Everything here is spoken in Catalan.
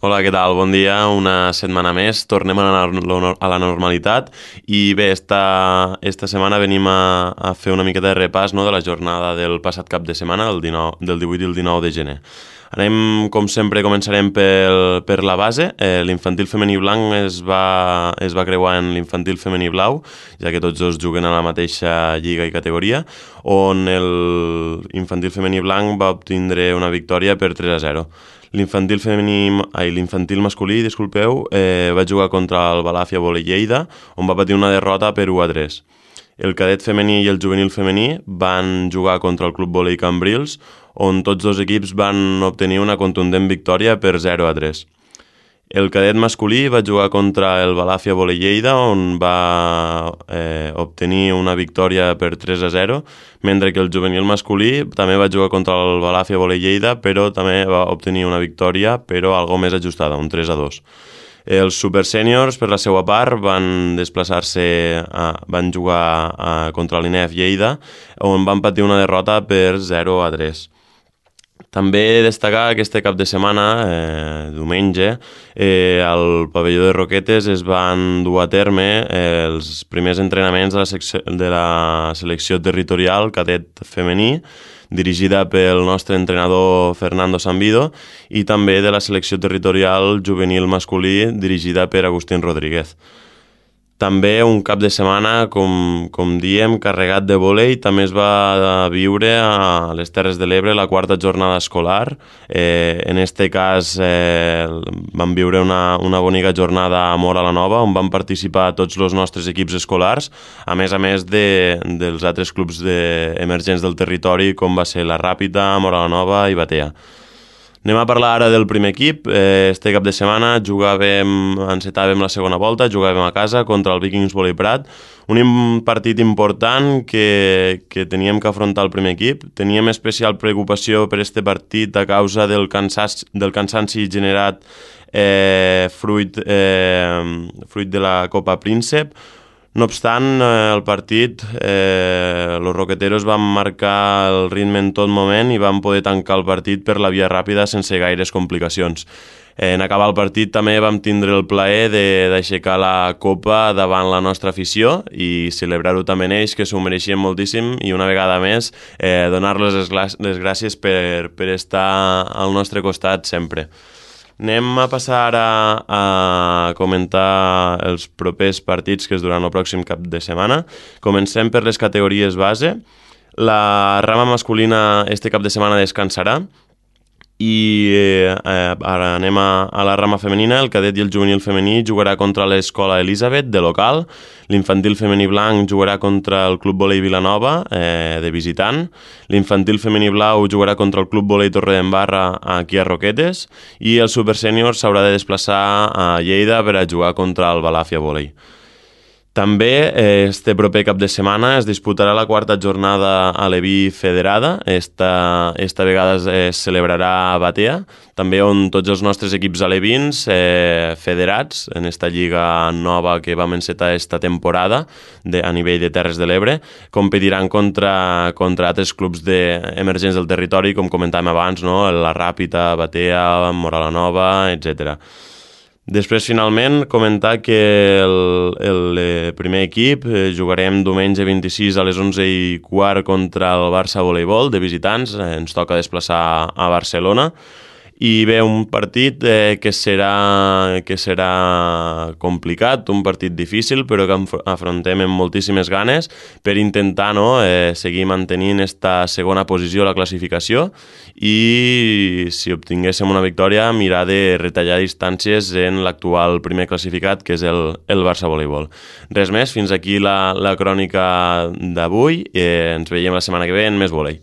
Hola, què tal? Bon dia, una setmana més. Tornem a la normalitat i bé, esta setmana venim a fer una miqueta de repàs, no, de la jornada del passat cap de setmana, del 18 i el 19 de gener. Anem, com sempre, començarem per la base. L'infantil femení blanc es va creuar en l'infantil femení blau, ja que tots dos juguen a la mateixa lliga i categoria, on l'infantil femení blanc va obtindre una victòria per 3-0. L'infantil masculí, disculpeu, va jugar contra el Balàfia Volley Lleida, on va patir una derrota per 1-3. El cadet femení i el juvenil femení van jugar contra el Club Volley Cambrils, on tots dos equips van obtenir una contundent victòria per 0-3. El cadet masculí va jugar contra el Balàfia Volley Lleida, on va obtenir una victòria per 3-0, mentre que el juvenil masculí també va jugar contra el Balàfia Volley Lleida, però també va obtenir una victòria, però algo més ajustada, un 3-2. Els supersèniors, per la seva part, van jugar contra l'INEF Lleida, on van patir una derrota per 0-3. També destacar que este cap de setmana, diumenge, al pavelló de Roquetes es van dur a terme els primers entrenaments de la selecció territorial cadet femení, dirigida pel nostre entrenador Fernando Sambido, i també de la selecció territorial juvenil masculí, dirigida per Agustín Rodríguez. També un cap de setmana, com diem, carregat de vòlei. També es va viure a les Terres de l'Ebre la quarta jornada escolar. En este cas vam viure una bonica jornada a Móra la Nova, on van participar tots els nostres equips escolars, a més dels altres clubs emergents del territori, com va ser la Ràpita, Móra la Nova i Batea. Anem a parlar ara del primer equip. Este cap de setmana encetàvem la segona volta, jugàvem a casa contra el Vikings Volley Prat, un partit important que teníem que afrontar el primer equip. Teníem especial preocupació per este partit a causa del cansanci generat fruit de la Copa Príncep. No obstant, el partit, los roqueteros van marcar el ritme en tot moment i van poder tancar el partit per la via ràpida sense gaires complicacions. En acabar el partit també vam tindre el plaer d'aixecar la copa davant la nostra afició i celebrar-ho també en ells, que s'ho mereixien moltíssim, i una vegada més donar-los les gràcies per estar al nostre costat sempre. Anem a passar a comentar els propers partits que es duran el pròxim cap de setmana. Comencem per les categories base. La rama masculina este cap de setmana descansarà i ara anem a la rama femenina. El cadet i el juvenil femení jugarà contra l'Escola Elisabet, de local. L'infantil femení blanc jugarà contra el Club Volley Vilanova, de visitant. L'infantil femení blau jugarà contra el Club Volley Torredembarra, aquí a Roquetes. I el supersènior s'haurà de desplaçar a Lleida per a jugar contra el Balàfia Volley. També este proper cap de setmana es disputarà la quarta jornada a l'Eví Federada. Esta vegada es celebrarà a Batea, també on tots els nostres equips alevins federats en esta lliga nova que vam encetar esta temporada a nivell de Terres de l'Ebre competiran contra altres clubs emergents del territori, com comentàvem abans, no? La Ràpita, Batea, Móra la Nova, etc. Després, finalment, comentar que el primer equip jugarem diumenge 26 a les 11:15 contra el Barça Voleibol, de visitants. Ens toca desplaçar a Barcelona. I bé, un partit que serà complicat, un partit difícil, però que afrontem amb moltíssimes ganes per intentar seguir mantenint esta segona posició a la classificació i, si obtinguéssim una victòria, mirar de retallar distàncies en l'actual primer classificat, que és el Barça Voleibol. Res més, fins aquí la crònica d'avui. Ens veiem la setmana que ve en més volei.